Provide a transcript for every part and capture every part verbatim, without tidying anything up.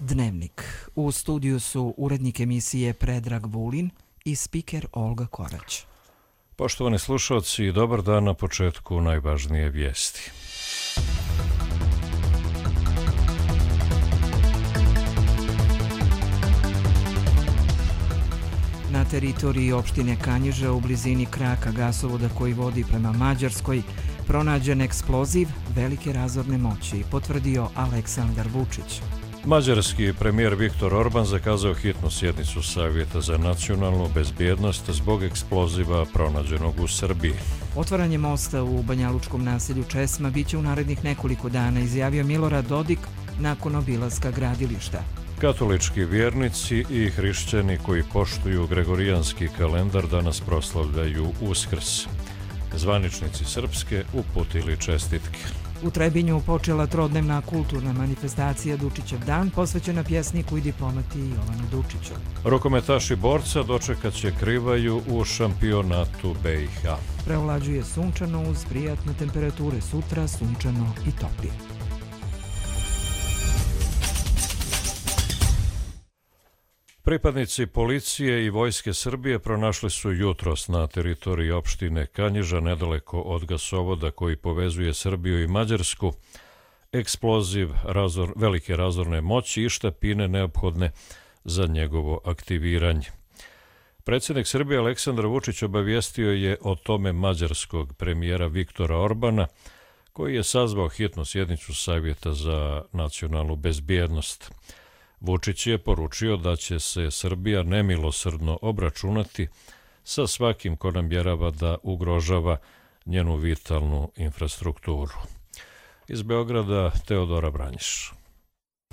Dnevnik. U studiju su urednik emisije Predrag Vulin i spiker Olga Korać. Poštovani slušalci, dobar dan na početku najvažnije vijesti. Na teritoriji opštine Kanjiža u blizini kraka gasovoda koji vodi prema Mađarskoj pronađen eksploziv velike razorne moći, potvrdio Aleksandar Vučić. Mađarski premijer Viktor Orban zakazao hitnu sjednicu Savjeta za nacionalnu bezbjednost zbog eksploziva pronađenog u Srbiji. Otvaranje mosta u banjalučkom naselju Česma biće u narednih nekoliko dana, izjavio Milorad Dodik nakon obilaska gradilišta. Katolički vjernici i hrišćani koji poštuju gregorijanski kalendar danas proslavljaju Uskrs. Zvaničnici Srpske uputili čestitke. U Trebinju počela trodnevna kulturna manifestacija Dučićev dan, posvećena pjesniku i diplomati Jovanu Dučiću. Rukometaši borca dočekat će Krivaju u šampionatu B i H. Preovlađuje sunčano uz prijatne temperature, sutra sunčano i toplije. Pripadnici policije i vojske Srbije pronašli su jutros na teritoriji opštine Kanjiža, nedaleko od gasovoda koji povezuje Srbiju i Mađarsku, eksploziv razor, velike razorne moći i štapine neophodne za njegovo aktiviranje. Predsjednik Srbije Aleksandar Vučić obavijestio je o tome mađarskog premijera Viktora Orbana, koji je sazvao hitnu sjednicu Savjeta za nacionalnu bezbjednost. Vučić je poručio da će se Srbija nemilosrdno obračunati sa svakim ko namjerava da ugrožava njenu vitalnu infrastrukturu. Iz Beograda Teodora Branjiš.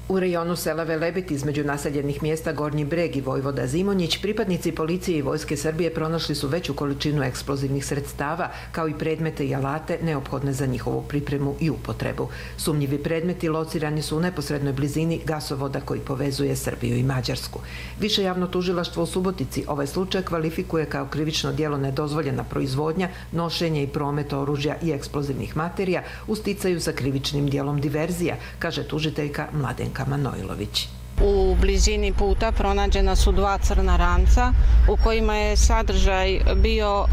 U rejonu sela Velebit između naseljenih mjesta Gornji Breg i Vojvoda Zimonjić, pripadnici policije i vojske Srbije pronašli su veću količinu eksplozivnih sredstava, kao i predmete i alate neophodne za njihovu pripremu i upotrebu. Sumnjivi predmeti locirani su u neposrednoj blizini gasovoda koji povezuje Srbiju i Mađarsku. Više javno tužilaštvo u Subotici ovaj slučaj kvalifikuje kao krivično djelo nedozvoljena proizvodnja, nošenje i promet oružja i eksplozivnih materija u sticaju sa krivičnim djelom diverzija, kaže tužiteljka Mladenka Manojlović. U blizini puta pronađena su dva crna ranca u kojima je sadržaj bio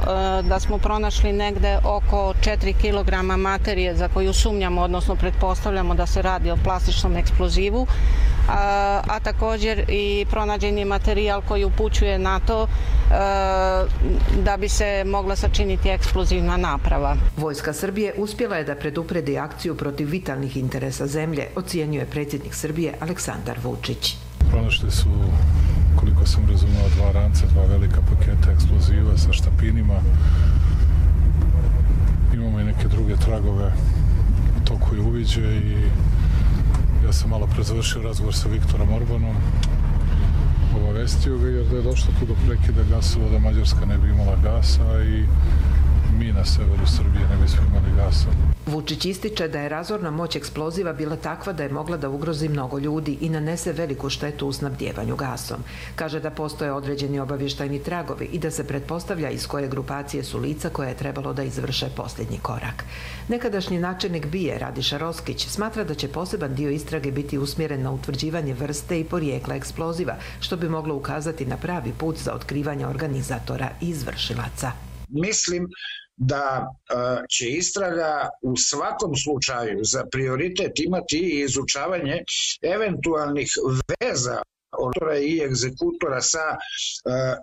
da smo pronašli negde oko četiri kilograma materije za koju sumnjamo, odnosno pretpostavljamo da se radi o plastičnom eksplozivu, a, a također i pronađen je materijal koji upućuje na to a, da bi se mogla sačiniti eksplozivna naprava. Vojska Srbije uspjela je da predupredi akciju protiv vitalnih interesa zemlje, ocjenjuje predsjednik Srbije Aleksandar Vučić. Pronašli su, koliko sam razumio, dva ranca, dva velika paketa eksploziva sa štapinima. Imamo i neke druge tragove u toku je uviđe i ja sam malo pre završio razgovor sa Viktorom Orbanom. Obavestio ga jer da je došlo tu do prekida gasovoda, Mađarska ne bi imala gasa i mi na severu Srbije ne bismo imali gasa. Vučić ističe da je razorna moć eksploziva bila takva da je mogla da ugrozi mnogo ljudi i nanese veliku štetu u snabdjevanju gasom. Kaže da postoje određeni obavještajni tragovi i da se pretpostavlja iz koje grupacije su lica koje je trebalo da izvrše posljednji korak. Nekadašnji načelnik B I E Radiša Roskić smatra da će poseban dio istrage biti usmjeren na utvrđivanje vrste i porijekla eksploziva, što bi moglo ukazati na pravi put za otkrivanje organizatora i izvršilaca. Mislim da će istraga u svakom slučaju za prioritet imati i izučavanje eventualnih veza autora i egzekutora sa uh,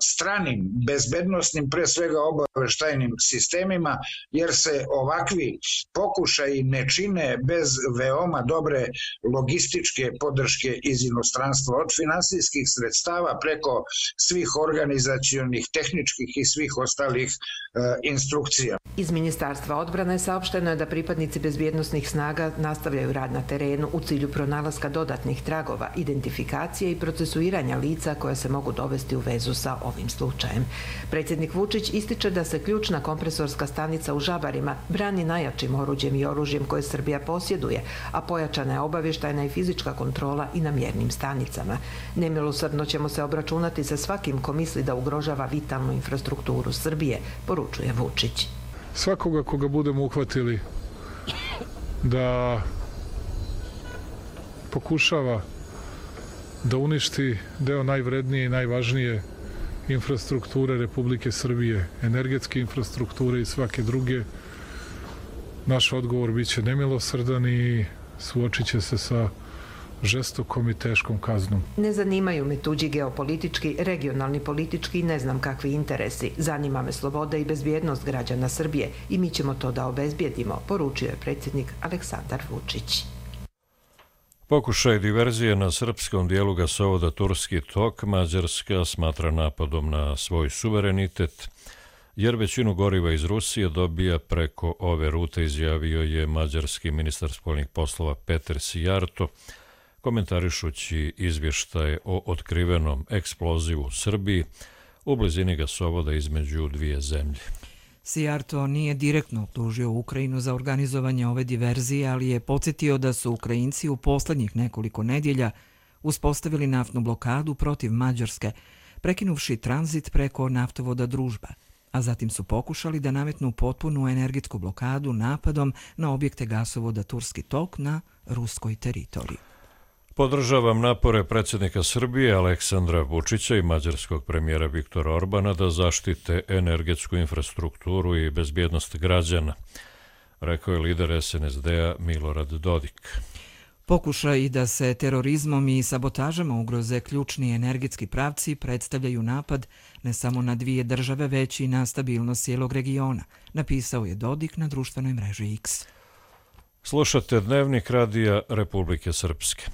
stranim bezbednosnim, pre svega obaveštajnim sistemima, jer se ovakvi pokušaji ne čine bez veoma dobre logističke podrške iz inostranstva, od finansijskih sredstava preko svih organizacionih, tehničkih i svih ostalih uh, instrukcija. Iz Ministarstva odbrane saopšteno je da pripadnici bezbjednosnih snaga nastavljaju rad na terenu u cilju pronalaska dodatnih tragova, identifikacije i procesuiranja lica koja se mogu dovesti u vezu sa ovim slučajem. Predsjednik Vučić ističe da se ključna kompresorska stanica u Žabarima brani najjačim oruđem i oružjem koje Srbija posjeduje, a pojačana je obavještajna i fizička kontrola i na mjernim stanicama. Nemilosrdno ćemo se obračunati sa svakim ko misli da ugrožava vitalnu infrastrukturu Srbije, poručuje Vučić. Svakoga koga budemo uhvatili da pokušava da uništi deo najvrednije i najvažnije infrastrukture Republike Srbije, energetske infrastrukture i svake druge. Naš odgovor biće nemilosrdan i suočit će se sa žestokom i teškom kaznom. Ne zanimaju me tuđi geopolitički, regionalni politički i ne znam kakvi interesi. Zanima me sloboda i bezbjednost građana Srbije i mi ćemo to da obezbijedimo, poručio je predsjednik Aleksandar Vučić. Pokušaj diverzije na srpskom dijelu gasovoda Turski tok Mađarska smatra napadom na svoj suverenitet, jer većinu goriva iz Rusije dobija preko ove rute, izjavio je mađarski ministar spoljnih poslova Peter Sijarto, komentarišući izvještaje o otkrivenom eksplozivu u Srbiji u blizini gasovoda između dvije zemlje. Sijarto nije direktno optužio Ukrajinu za organizovanje ove diverzije, ali je podsjetio da su Ukrajinci u poslednjih nekoliko nedjelja uspostavili naftnu blokadu protiv Mađarske, prekinuvši tranzit preko naftovoda Družba, a zatim su pokušali da nametnu potpunu energetsku blokadu napadom na objekte gasovoda Turski tok na ruskoj teritoriji. Podržavam napore predsjednika Srbije Aleksandra Vučića i mađarskog premijera Viktora Orbana da zaštite energetsku infrastrukturu i bezbjednost građana, rekao je lider es en es de-a Milorad Dodik. Pokušaj da se terorizmom i sabotažama ugroze ključni energetski pravci predstavljaju napad ne samo na dvije države, već i na stabilnost cijelog regiona, napisao je Dodik na društvenoj mreži X. Slušate Dnevnik radija Republike Srpske.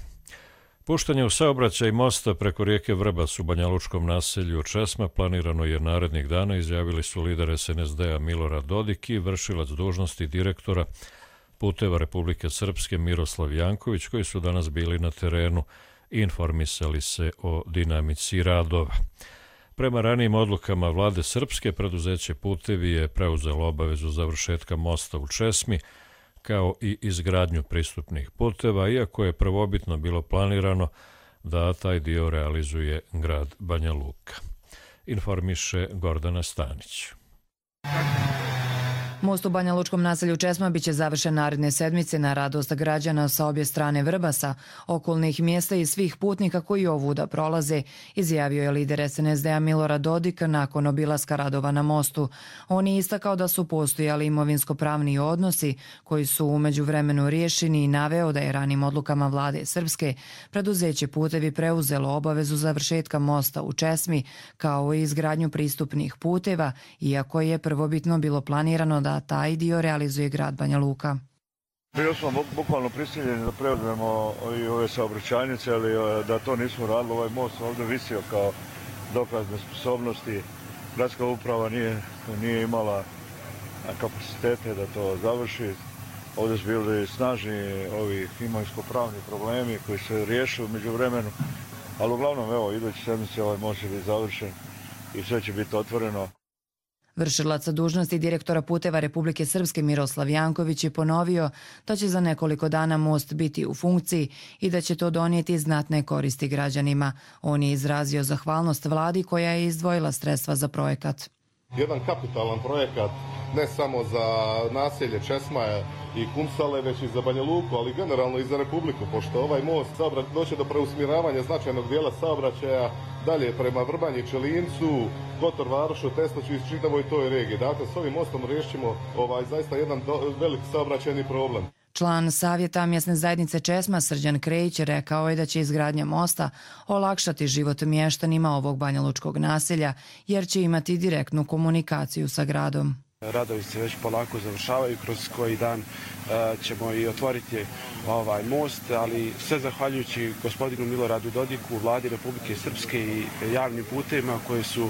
Puštanje u saobraćaj mosta preko rijeke Vrbas u banjalučkom naselju Česma planirano je narednih dana, izjavili su lider es en es de-a Milorad Dodik i vršilac dužnosti direktora Puteva Republike Srpske Miroslav Janković, koji su danas bili na terenu i informisali se o dinamici radova. Prema ranijim odlukama vlade Srpske, preduzeće Putevi je preuzelo obavezu završetka mosta u Česmi, kao i izgradnju pristupnih puteva, iako je prvobitno bilo planirano da taj dio realizuje grad Banja Luka. Informiše Gordana Stanić. Most u banjalučkom naselju Česma biće završen naredne sedmice na radost građana sa obje strane Vrbasa, okolnih mjesta i svih putnika koji ovuda prolaze, izjavio je lider es en es de-a Milorad Dodik nakon obilaska radova na mostu. On je istakao da su postojali imovinsko-pravni odnosi koji su u međuvremenu riješeni i naveo da je ranim odlukama vlade Srpske preduzeće Putevi preuzelo obavezu završetka mosta u Česmi kao i izgradnju pristupnih puteva, iako je prvobitno bilo planirano da taj dio realizuje grad Banja Luka. Bili smo bukvalno prisiljeni da preuzmemo i ove saobraćajnice, ali da to nismo radili. Ovaj most ovdje visio kao dokaz nesposobnosti. Gradska uprava nije, nije imala kapacitete da to završi. Ovdje su bili snažni ovi imovinsko-pravni problemi koji se riješu među vremenu. Ali uglavnom, evo, idući sedmice ovaj most će biti završen i sve će biti otvoreno. Vršilac dužnosti direktora Puteva Republike Srpske Miroslav Janković je ponovio da će za nekoliko dana most biti u funkciji i da će to donijeti znatne koristi građanima. On je izrazio zahvalnost vladi koja je izdvojila sredstva za projekat. Jedan kapitalan projekat ne samo za naselje Česma i Kumsale, već i za Banja Luku, ali generalno i za Republiku, pošto ovaj most doće do preusmjeravanja značajnog dijela saobraćaja dalje prema Vrbanji, Čelincu, Kotor, Varošu, Tesnoću i čitavoj toj regiji. Dakle, s ovim mostom riješimo ovaj, zaista jedan velik saobraćajni problem. Član Savjeta mjesne zajednice Česma Srđan Krejić rekao je da će izgradnja mosta olakšati život mještanima ovog banjalučkog naselja, jer će imati direktnu komunikaciju sa gradom. Radovi se već polako završavaju, kroz koji dan ćemo i otvoriti ovaj most, ali sve zahvaljujući gospodinu Miloradu Dodiku, vladi Republike Srpske i javnim putevima koji su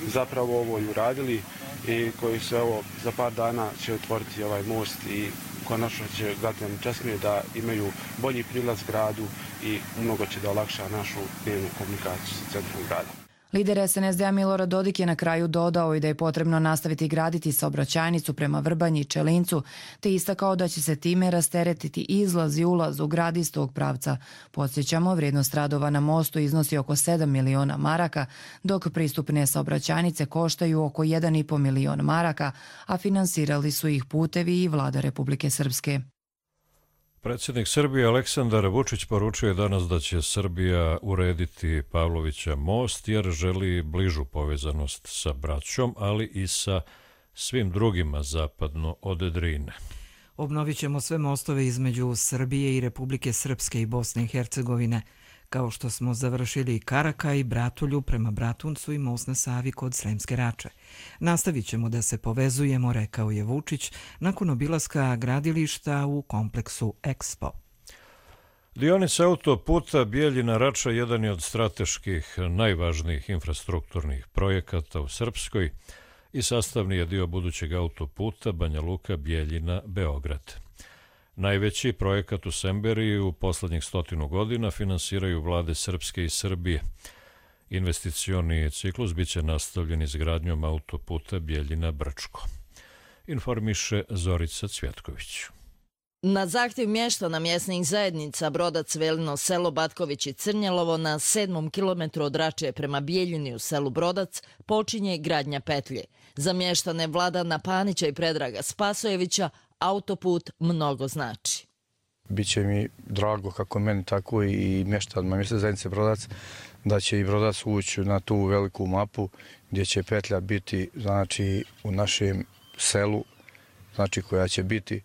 zapravo ovo i uradili i koji su evo za par dana će otvoriti ovaj most i konačno će građani Česme da imaju bolji prilaz gradu i mnogo će da olakša našu dnevnu komunikaciju sa centrom grada. Lider es en es de-a Milorad Dodik je na kraju dodao i da je potrebno nastaviti graditi saobraćajnicu prema Vrbanji i Čelincu, te istakao da će se time rasteretiti izlaz i ulaz u grad iz tog pravca. Podsjećamo, vrijednost radova na mostu iznosi oko sedam miliona maraka, dok pristupne saobraćajnice koštaju oko jedan i pol milion maraka, a finansirali su ih Putevi i vlada Republike Srpske. Predsjednik Srbije Aleksandar Vučić poručio je danas da će Srbija urediti Pavlovića most jer želi bližu povezanost sa braćom, ali i sa svim drugima zapadno od Drine. Obnovit ćemo sve mostove između Srbije i Republike Srpske i Bosne i Hercegovine, kao što smo završili Karaka i Bratulju prema Bratuncu i most na Savi kod Sremske Rače. Nastavit ćemo da se povezujemo, rekao je Vučić nakon obilaska gradilišta u kompleksu Expo. Dionica autoputa Bijeljina-Rača jedan je od strateških najvažnijih infrastrukturnih projekata u Srpskoj i sastavni je dio budućeg autoputa Banja Luka-Bijeljina-Beograd. Najveći projekat u Semberiji u poslednjih stotinu godina finansiraju vlade Srpske i Srbije. Investicioni ciklus biće nastavljen izgradnjom autoputa Bijeljina-Brčko. Informiše Zorica Cvjetković. Na zahtjev mještana mjesnih zajednica Brodac, Velino, selo Batković i Crnjelovo na sedmom kilometru od Rače prema Bijeljini u selu Brodac počinje gradnja petlje. Za mještane Vladana Panića i Predraga Spasojevića autoput mnogo znači. Biće mi drago kako meni tako i mještanima mjesne zajednice Brodac da će i Brodac ući na tu veliku mapu gdje će petlja biti znači u našem selu, znači koja će biti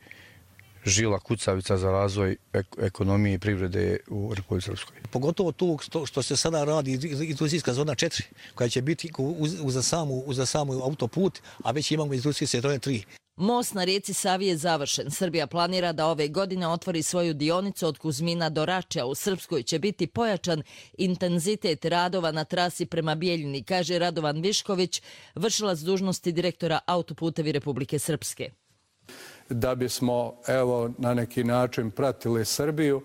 žila kucavica za razvoj ekonomije i privrede u Republici Srpskoj. Pogotovo tu što se sada radi industrijska zona četiri, koja će biti uza samu, uza samu autoput, a već imamo industrijske zone tri. Most na rijeci Savi je završen. Srbija planira da ove godine otvori svoju dionicu od Kuzmina do Rače, a u Srpskoj će biti pojačan intenzitet radova na trasi prema Bijeljini, kaže Radovan Višković, vršilac dužnosti direktora Autoputevi Republike Srpske. Da bismo evo na neki način pratili Srbiju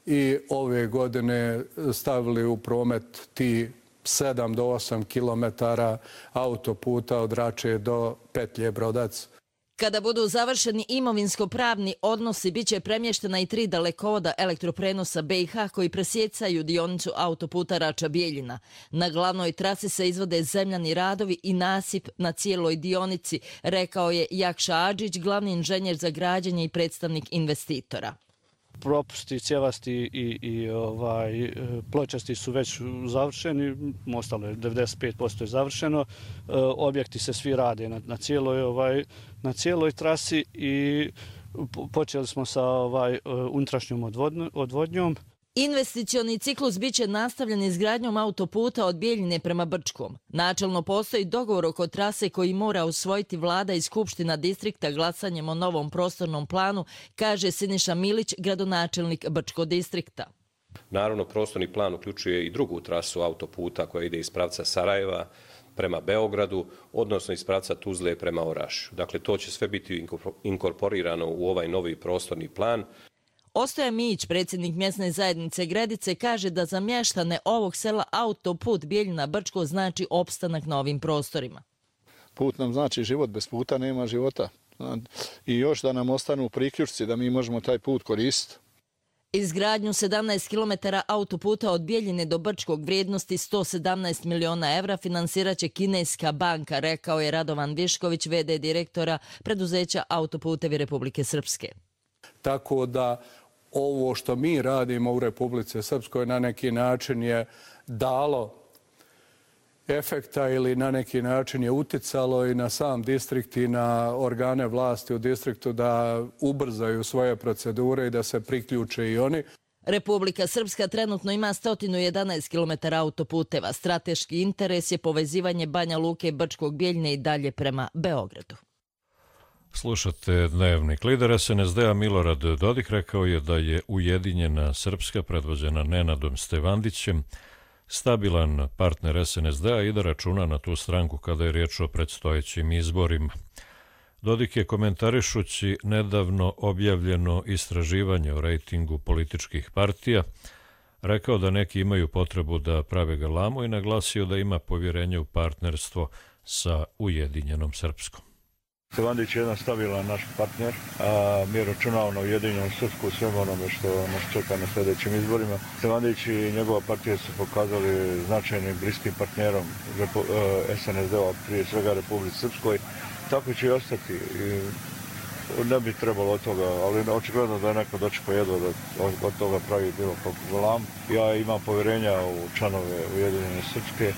i ove godine stavili u promet ti sedam do osam kilometara autoputa od Rače do petlje Brodac. Kada budu završeni imovinsko-pravni odnosi, bit će premještena i tri dalekovoda elektroprenosa B i H koji presjecaju dionicu autoputa Rača-Bijeljina. Na glavnoj trasi se izvode zemljani radovi i nasip na cijeloj dionici, rekao je Jakša Adžić, glavni inženjer za građenje i predstavnik investitora. Propusti, cjevasti i, i ovaj, pločasti su već završeni, ostalo je devedeset pet posto je završeno, e, objekti se svi rade na, na, cijeloj, ovaj, na cijeloj trasi i počeli smo sa ovaj, unutrašnjom odvodnjom. Investicioni ciklus biće nastavljen izgradnjom autoputa od Bijeljine prema Brčkom. Načelno postoji dogovor oko trase koji mora usvojiti vlada i skupština distrikta glasanjem o novom prostornom planu, kaže Siniša Milić, gradonačelnik Brčkog distrikta. Naravno, prostorni plan uključuje i drugu trasu autoputa koja ide iz pravca Sarajeva prema Beogradu, odnosno iz pravca Tuzle prema Orašju. Dakle, to će sve biti inkorporirano u ovaj novi prostorni plan. Ostoja Mijić, predsjednik mjesne zajednice Gredice, kaže da za mještane ovog sela autoput Bijeljina-Brčko znači opstanak na ovim prostorima. Put nam znači život, bez puta nema života. I još da nam ostanu priključci da mi možemo taj put koristiti. Izgradnju sedamnaest kilometara autoputa od Bijeljine do Brčkog vrijednosti sto sedamnaest miliona evra finansiraće kineska banka, rekao je Radovan Višković, v d direktora preduzeća Autoputevi Republike Srpske. Tako da ovo što mi radimo u Republici Srpskoj na neki način je dalo efekta ili na neki način je uticalo i na sam distrikt i na organe vlasti u distriktu da ubrzaju svoje procedure i da se priključe i oni. Republika Srpska trenutno ima sto jedanaest kilometara autoputeva. Strateški interes je povezivanje Banja Luke, Brčkog, Bijeljine i dalje prema Beogradu. Slušate Dnevnik. Lider es en es de-a Milorad Dodik rekao je da je Ujedinjena Srpska, predvođena Nenadom Stevandićem, stabilan partner es en es de-a i da računa na tu stranku kada je riječ o predstojećim izborima. Dodik je, komentarišući nedavno objavljeno istraživanje o rejtingu političkih partija, rekao da neki imaju potrebu da prave galamu i naglasio da ima povjerenje u partnerstvo sa Ujedinjenom Srpskom. Stevandić je jedan stabilan naš partner, a mi računamo na Ujedinjenu Srpsku u svemu onome što nas čeka na sljedećim izborima. Stevandić i njegova partija su pokazali značajnim bliskim partnerom es en es de-a, prije svega Republici Srpskoj. Tako će i ostati. ne bi trebalo od toga, ali očigledno da je neko dočekao jedva da od toga pravi bilo kako lam. Ja imam povjerenja u članove Ujedinjene Srpske.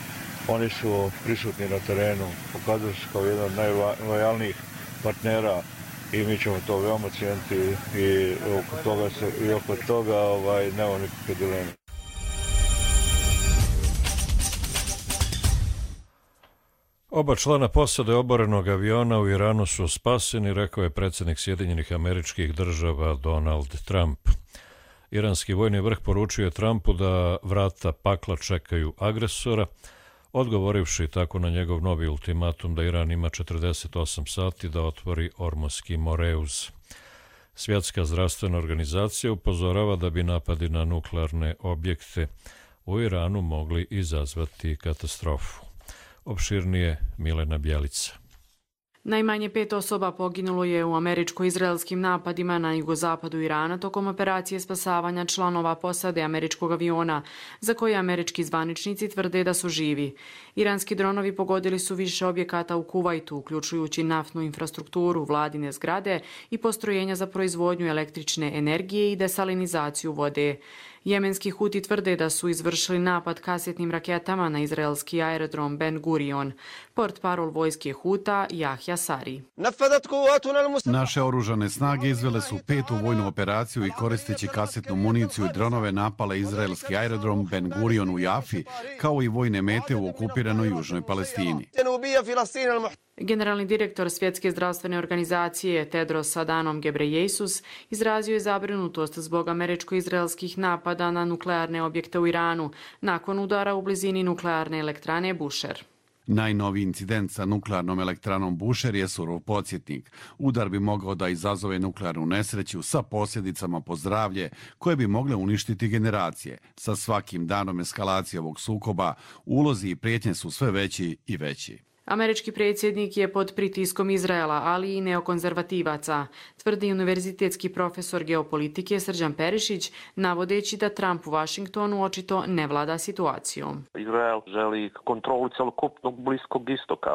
Oni su prisutni na terenu, pokazuju se kao jedan od najlojalnijih partnera i mi ćemo to veoma cijeniti i oko toga, se, i oko toga ovaj, nema nikakve dileme. Oba člana posade oborenog aviona u Iranu su spaseni, rekao je predsjednik Sjedinjenih Američkih Država Donald Trump. Iranski vojni vrh poručio je Trumpu da vrata pakla čekaju agresora, odgovorivši tako na njegov novi ultimatum da Iran ima četrdeset osam sati da otvori Ormuski Moreuz. Svjetska zdravstvena organizacija upozorava da bi napadi na nuklearne objekte u Iranu mogli izazvati katastrofu. Opširnije Milena Bjelica. Najmanje pet osoba poginulo je u američko-izraelskim napadima na jugozapadu Irana tokom operacije spasavanja članova posade američkog aviona, za koje američki zvaničnici tvrde da su živi. Iranski dronovi pogodili su više objekata u Kuvajtu, uključujući naftnu infrastrukturu, vladine zgrade i postrojenja za proizvodnju električne energije i desalinizaciju vode. Jemenski Huti tvrde da su izvršili napad kasetnim raketama na izraelski aerodrom Ben Gurion. Portparol vojske Huta Jahja Sari. Naše oružane snage izvele su petu vojnu operaciju i koristeći kasetnu municiju i dronove napale izraelski aerodrom Ben Gurion u Jafi, kao i vojne mete u okupiranoj južnoj Palestini. Generalni direktor Svjetske zdravstvene organizacije Tedros Adhanom Ghebreyesus izrazio je zabrinutost zbog američko-izraelskih napada na nuklearne objekte u Iranu nakon udara u blizini nuklearne elektrane Bushehr. Najnoviji incident sa nuklearnom elektranom Bushehr je surov podsjetnik. Udar bi mogao da izazove nuklearnu nesreću sa posljedicama po zdravlje koje bi mogle uništiti generacije. Sa svakim danom eskalacije ovog sukoba ulozi i prijetnje su sve veći i veći. Američki predsjednik je pod pritiskom Izraela, ali i neokonzervativaca, tvrdi univerzitetski profesor geopolitike Srđan Perišić, navodeći da Trump u Vašingtonu očito ne vlada situacijom. Izrael želi kontrolu celokupnog Bliskog istoka,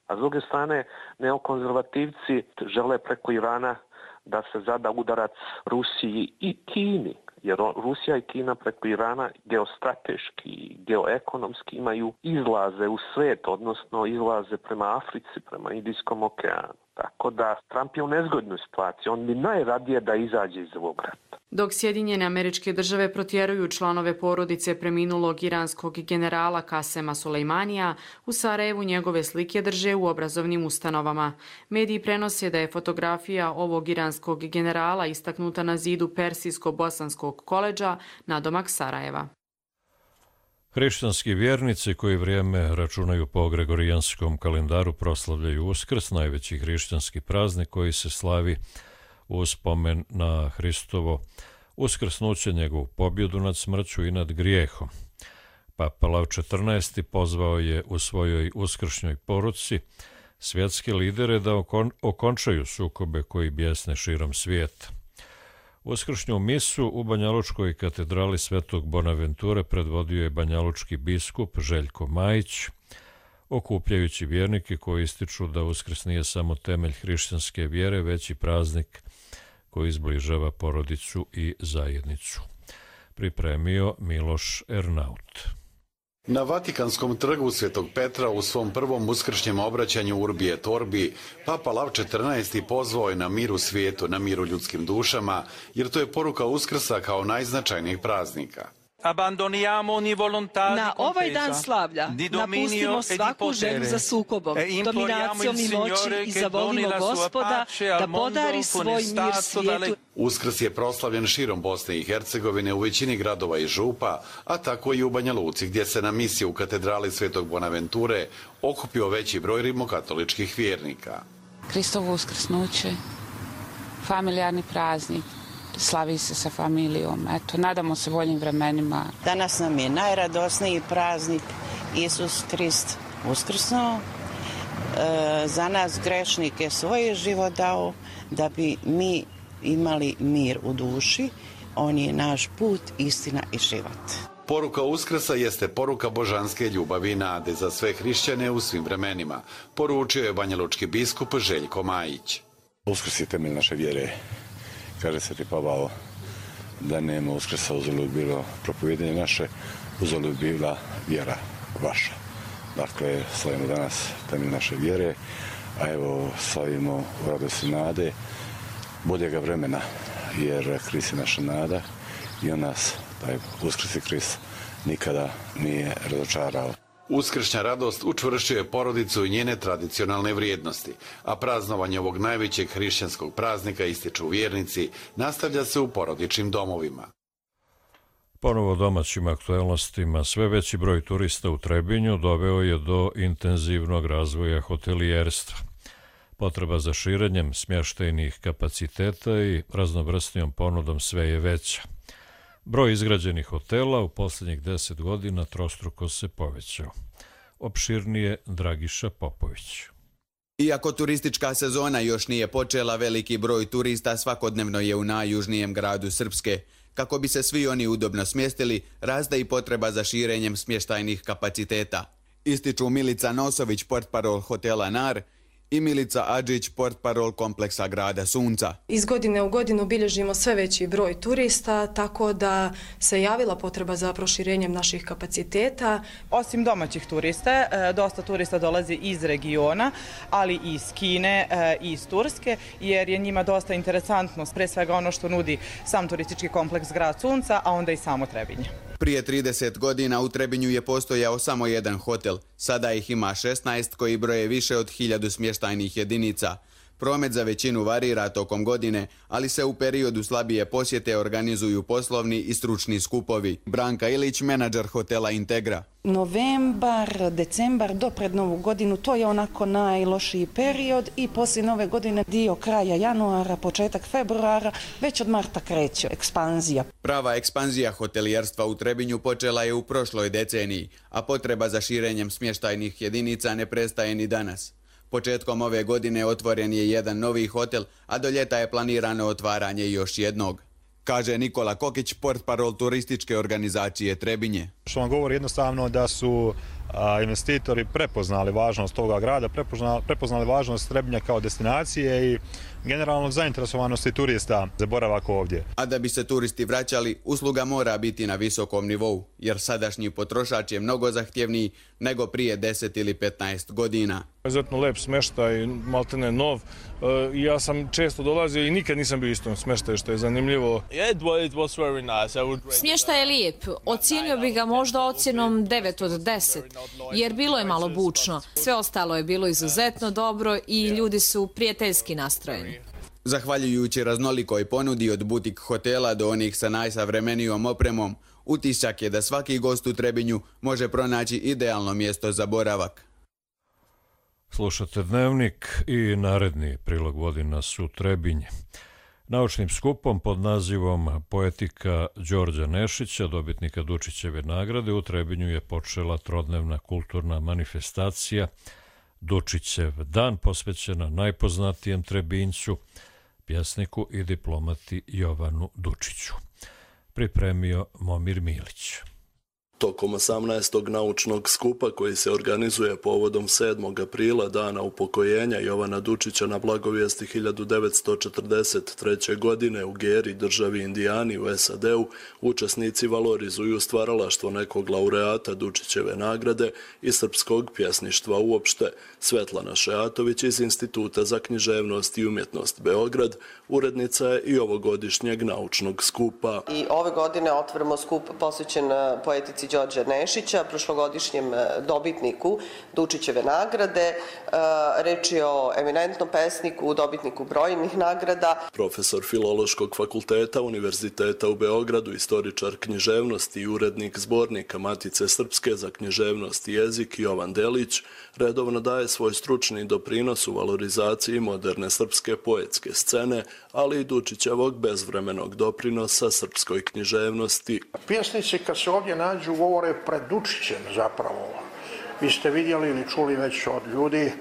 a s druge strane neokonzervativci žele preko Irana da se zada udarac Rusiji i Kini. Jer Rusija i Kina preko Irana geostrateški i geoekonomski imaju izlaze u svet, odnosno izlaze prema Africi, prema Indijskom okeanu. Tako da Trump je u nezgodnoj situaciji. On bi najradije da izađe iz ovog rata. Dok Sjedinjene Američke Države protjeruju članove porodice preminulog iranskog generala Kasema Sulejmanija, u Sarajevu njegove slike drže u obrazovnim ustanovama. Mediji prenose da je fotografija ovog iranskog generala istaknuta na zidu Persijsko-bosanskog koledža nadomak Sarajeva. Hrišćanski vjernici koji vrijeme računaju po gregorijanskom kalendaru proslavljaju Uskrs, najveći hrišćanski praznik koji se slavi u spomen na Hristovo uskrsnuće, njegovu pobjedu nad smrću i nad grijehom. Papa Lav četrnaesti pozvao je u svojoj uskršnjoj poruci svjetske lidere da okon, okončaju sukobe koji bjesne širom svijeta. Uskršnju misu u Banjalučkoj katedrali Svetog Bonaventure predvodio je banjalučki biskup Željko Majić, okupljajući vjernike koji ističu da Uskrs nije samo temelj hrišćanske vjere, već i praznik koji izbližava porodicu i zajednicu. Pripremio Miloš Ernaut. Na Vatikanskom trgu Svetog Petra u svom prvom uskršnjem obraćanju Urbi et Orbi, Papa Lav četrnaesti pozvao je na mir u svijetu, na mir u ljudskim dušama, jer to je poruka Uskrsa kao najznačajnijeg praznika. Na ovaj dan slavlja napustimo svaku želju za sukobom, dominacijom i moći i zavolimo Gospoda da podari svoj mir svijetu. Uskrs je proslavljen širom Bosne i Hercegovine u većini gradova i župa, a tako i u Banja Luci, gdje se na misiji u katedrali Svetog Bonaventure okupio veći broj rimokatoličkih vjernika. Hristovo uskrsnuće, familijarni praznik, slavi se sa familijom. Eto, nadamo se boljim vremenima. Danas nam je najradosniji praznik, Isus Krist uskrsnuo. E, za nas grešnike svoj život dao da bi mi imali mir u duši. On je naš put, istina i život. Poruka Uskrsa jeste poruka božanske ljubavi i nade za sve hrišćane u svim vremenima, poručio je banjalučki biskup Željko Majić. Uskrs je temelj naše vjere. Kaže Sveti Pavao da nema Uskrsa, uzalud bilo propovijedanje naše, uzalud bila vjera vaša. Dakle, slavimo danas temelj naše vjere, a evo slavimo u radosti nade boljega vremena, jer Krist je naša nada i on nas, taj Uskrsni Krist, nikada nije razočarao. Uskršnja radost učvršćuje porodicu i njene tradicionalne vrijednosti, a praznovanje ovog najvećeg hrišćanskog praznika, ističu vjernici, nastavlja se u porodičnim domovima. Ponovo domaćim aktuelnostima, sve veći broj turista u Trebinju doveo je do intenzivnog razvoja hotelijerstva. Potreba za širenjem smještajnih kapaciteta i raznovrsnijom ponudom sve je veća. Broj izgrađenih hotela u posljednjih deset godina trostruko se povećao. Opširnije Dragiša Popović. Iako turistička sezona još nije počela, veliki broj turista svakodnevno je u najjužnijem gradu Srpske. Kako bi se svi oni udobno smjestili, raste i potreba za širenjem smještajnih kapaciteta. Ističu Milica Nosović, portparol hotela Nar, i Milica Adžić, portparol kompleksa grada Sunca. Iz godine u godinu bilježimo sve veći broj turista, tako da se javila potreba za proširenjem naših kapaciteta. Osim domaćih turista, dosta turista dolazi iz regiona, ali i iz Kine i iz Turske, jer je njima dosta interesantno, pre svega ono što nudi sam turistički kompleks grad Sunca, a onda i samo Trebinje. Prije trideset godina u Trebinju je postojao samo jedan hotel, sada ih ima šesnaest koji broje više od hiljadu smještajnih jedinica. Promet za većinu varira tokom godine, ali se u periodu slabije posjete organizuju poslovni i stručni skupovi. Branka Ilić, menadžer hotela Integra. Novembar, decembar do pred novu godinu, to je onako najlošiji period i poslije nove godine dio kraja januara, početak februara, već od marta kreće ekspanzija. Prava ekspanzija hotelijerstva u Trebinju počela je u prošloj deceniji, a potreba za širenjem smještajnih jedinica ne prestaje ni danas. Početkom ove godine otvoren je jedan novi hotel, a do ljeta je planirano otvaranje još jednog. Kaže Nikola Kokić, portparol turističke organizacije Trebinje. Što vam govori jednostavno da su a, investitori prepoznali važnost toga grada, prepoznali, prepoznali važnost Trebinja kao destinacije i generalno zainteresovanosti turista za boravak ovdje. A da bi se turisti vraćali, usluga mora biti na visokom nivou, jer sadašnji potrošač je mnogo zahtjevniji nego prije deset ili petnaest godina. Izuzetno lep smještaj, maltene nov. Ja sam često dolazio i nikad nisam bio istom smještaju, što je zanimljivo. Smještaj je lijep. Ocijenio bih ga možda ocjenom devet od deset, jer bilo je malo bučno. Sve ostalo je bilo izuzetno dobro i ljudi su prijateljski nastrojeni. Zahvaljujući raznolikoj ponudi od butik hotela do onih sa najsavremenijom opremom, utisak je da svaki gost u Trebinju može pronaći idealno mjesto za boravak. Slušate Dnevnik i naredni prilog vodi nas u Trebinje. Naučnim skupom pod nazivom Poetika Đorđa Nešića, dobitnika Dučićeve nagrade, u Trebinju je počela trodnevna kulturna manifestacija Dučićev dan, posvećena najpoznatijem Trebinjcu, pjesniku i diplomati Jovanu Dučiću. Pripremio Momir Milić. Tokom osamnaestog naučnog skupa koji se organizuje povodom sedmog aprila, dana upokojenja Jovana Dučića na blagovijesti hiljadu devetsto četrdeset treće. godine u Geri, državi Indijani u S A D-u, učesnici valorizuju stvaralaštvo nekog laureata Dučićeve nagrade i srpskog pjesništva uopšte. Svetlana Šeatović iz Instituta za književnost i umjetnost Beograd, urednica je i ovogodišnjeg naučnog skupa. I ove godine otvorimo skup posvećen poetici Đorđa Nešića, prošlogodišnjem dobitniku Dučićeve nagrade. Reč je o eminentnom pesniku, dobitniku brojnih nagrada. Profesor Filološkog fakulteta Univerziteta u Beogradu, istoričar književnosti i urednik zbornika Matice Srpske za književnost i jezik Jovan Delić redovno daje svoj stručni doprinos u valorizaciji moderne srpske poetske scene, ali i Dučićevog bezvremenog doprinosa srpskoj književnosti. Pjesnici kad se ovdje nađu govore pred Dučićem zapravo. Vi ste vidjeli ili čuli već od ljudi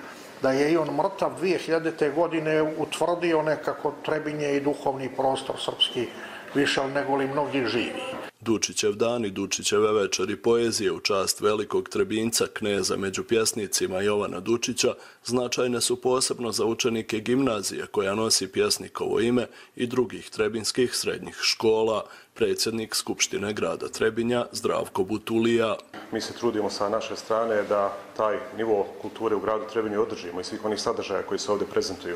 da je i on mrtav dvije hiljadite. godine utvrdio nekako Trebinje i duhovni prostor srpski više nego li mnogi živi. Dučićev dan i Dučićeve večeri poezije u čast velikog Trebinjca, kneza među pjesnicima Jovana Dučića, značajne su posebno za učenike gimnazije koja nosi pjesnikovo ime i drugih trebinskih srednjih škola, predsjednik Skupštine grada Trebinja Zdravko Butulija. Mi se trudimo sa naše strane da taj nivo kulture u gradu Trebinju održimo i svih onih sadržaja koji se ovdje prezentuju.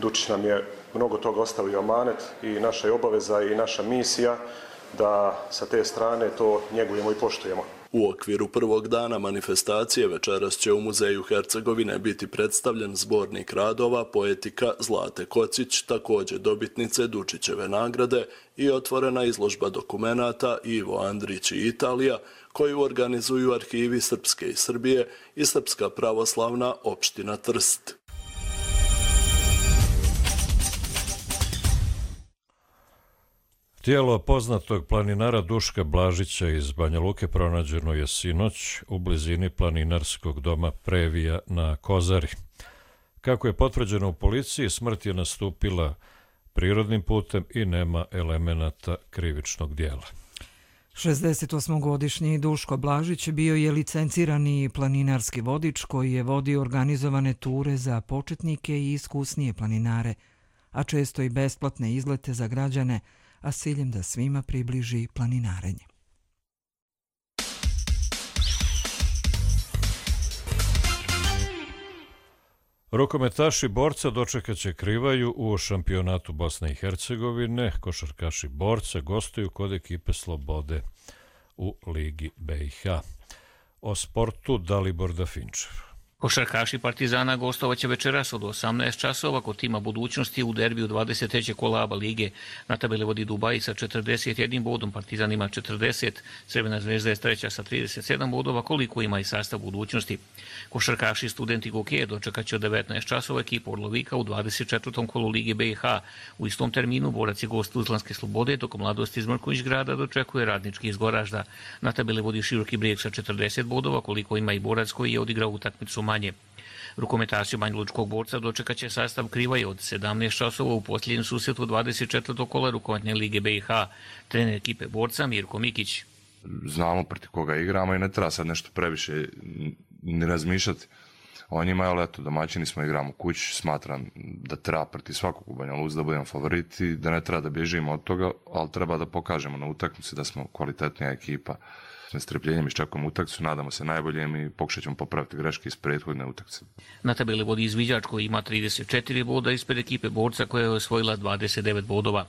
Dučić nam je mnogo toga ostavio amanet i naša je obaveza i naša misija da sa te strane to njegujemo i poštujemo. U okviru prvog dana manifestacije večeras će u Muzeju Hercegovine biti predstavljen zbornik radova poetika Zlate Kocić, također dobitnice Dučićeve nagrade, i otvorena izložba dokumenata Ivo Andrić i Italija, koju organizuju arhivi Srpske i Srbije i Srpska pravoslavna opština Trst. Tijelo poznatog planinara Duška Blažića iz Banja Luke pronađeno je sinoć u blizini planinarskog doma Previja na Kozari. Kako je potvrđeno u policiji, smrt je nastupila prirodnim putem i nema elemenata krivičnog dijela. šezdesetosmogodišnji Duško Blažić bio je licencirani planinarski vodič koji je vodio organizovane ture za početnike i iskusnije planinare, a često i besplatne izlete za građane, a s ciljem da svima približi planinarenje. Rukometaši borca dočekat će Krivaju u šampionatu Bosne i Hercegovine. Košarkaši borca gostuju kod ekipe Slobode u Ligi B i H. O sportu Dalibor Dafinčev. Košarkaši Partizana gostovaće večeras od osamnaest časova kod tima Budućnosti u derbiju dvadeset trećeg kola ABA lige. Na tabeli vodi Dubaji sa četrdeset jednim bodom, Partizan ima četrdeset, Crvena zvezda je treća sa trideset sedam bodova, koliko ima i sastav Budućnosti. Košarkaši Studenti hokeja dočekaće od devetnaest časova ekipu Orlovika u dvadeset četvrtom kolu Lige B i H. U istom terminu borac je gost Tuzlanske Slobode, dok Mladost iz Mrkonjić grada dočekuje Radnički iz Goražda. Na tabeli vodi Široki Brijeg sa četrdeset bodova, koliko ima i borac koji je odigrao utakmicu manje. Rukometaši Banjalučkog borca dočekaće sastav Krivaje od sedamnaest časova u posljednjem susretu dvadeset četvrtog kola rukometne Lige B i H. Trener ekipe borca Mirko Mikić. Znamo protiv koga igramo i ne treba sad nešto previše ni razmišljati o njima, ali eto, domaćini smo, igramo kući, smatram da treba protiv svakog u Banja Luci da budemo favoriti, da ne treba da bježimo od toga, ali treba da pokažemo na utakmici da smo kvalitetnija ekipa. S strpljenjem iščekujemo utakmicu, nadamo se najboljem i pokušat ćemo popraviti greške iz prethodne utakmice. Na tabeli vodi Izviđač koji ima trideset četiri boda ispred ekipe borca koja je osvojila dvadeset devet bodova.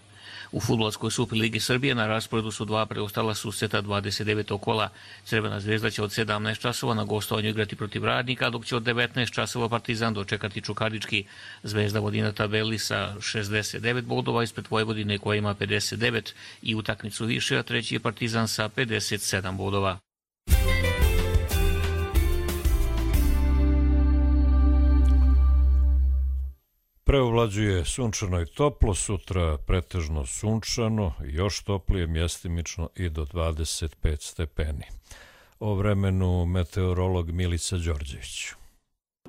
U fudbalskoj Superligi Srbije na rasporedu su dva preostala susreta dvadeset devetog kola. Crvena zvezda će od sedamnaest časova na gostovanju igrati protiv Radnika, dok će od devetnaest časova Partizan dočekati Čukarički. Zvezda vodi na tabeli sa šezdeset devet bodova ispred Vojvodine koja ima pedeset devet i utakmicu više, a treći je Partizan sa pedeset sedam bodova. Preovlađuje sunčano i toplo, sutra pretežno sunčano, još toplije, mjestimično i do dvadeset pet stepeni. O vremenu meteorolog Milica Đorđević.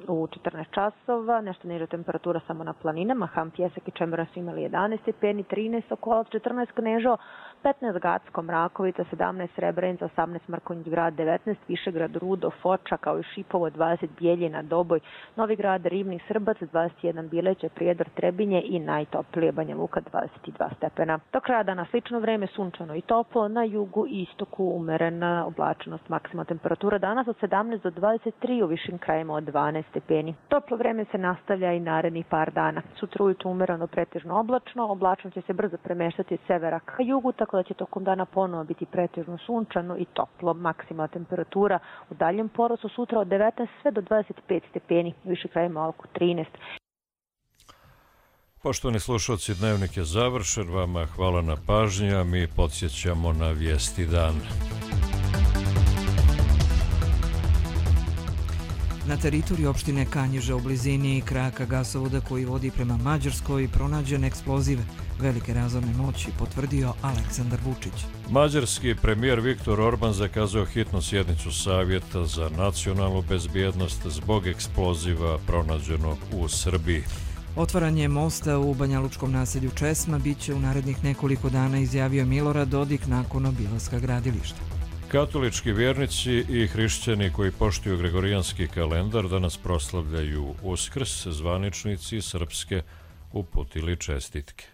U četrnaest časova, nešto niža temperatura samo na planinama, Ham, Pjesak i Čemera su imali jedanaest stepeni, trinaest Sokolac, četrnaest Knežo, petnaest Gacko, Mrakovica, sedamnaest Srebrenica, osamnaest Mrkonjić grad, devetnaest Višegrad, Rudo, Foča, kao i Šipovo, dvadeset Bijeljina, Doboj, Novi grad, Rivnik, Srbac, dvadeset jedan Bileće, Prijedor, Trebinje i najtoplije Banja Luka, dvadeset dva stepena. Do kraja dana slično vreme, sunčano i toplo, na jugu i istoku umerena oblačenost, maksimalna temperatura danas od sedamnaest do dvadeset tri, u višim krajima od dvanaest stepeni. Toplo vreme se nastavlja i narednih par dana. Sutra ujutro umereno pretežno oblačno, oblačno će se brzo premeštati od severa ka jugu, tako da će tokom dana ponovo biti pretežno sunčano i toplo. Maksimalna temperatura u daljem porastu sutra od devetnaest sve do dvadeset pet stepeni, u više krajima oko trinaest. Poštovani slušalci, dnevnik je završen. Vama hvala na pažnji, a mi podsjećamo na vijesti dana. Na teritoriji opštine Kanjiža u blizini kraka gasovoda koji vodi prema Mađarskoj pronađen eksploziv velike razorne moći, potvrdio Aleksandar Vučić. Mađarski premijer Viktor Orban zakazao hitnu sjednicu Savjeta za nacionalnu bezbjednost zbog eksploziva pronađenog u Srbiji. Otvaranje mosta u banjalučkom naselju Česma biće u narednih nekoliko dana, izjavio Milorad Dodik nakon obilaska gradilišta. Katolički vjernici i hrišćani koji poštuju gregorijanski kalendar danas proslavljaju Uskrs, zvaničnici srpske uputili čestitke.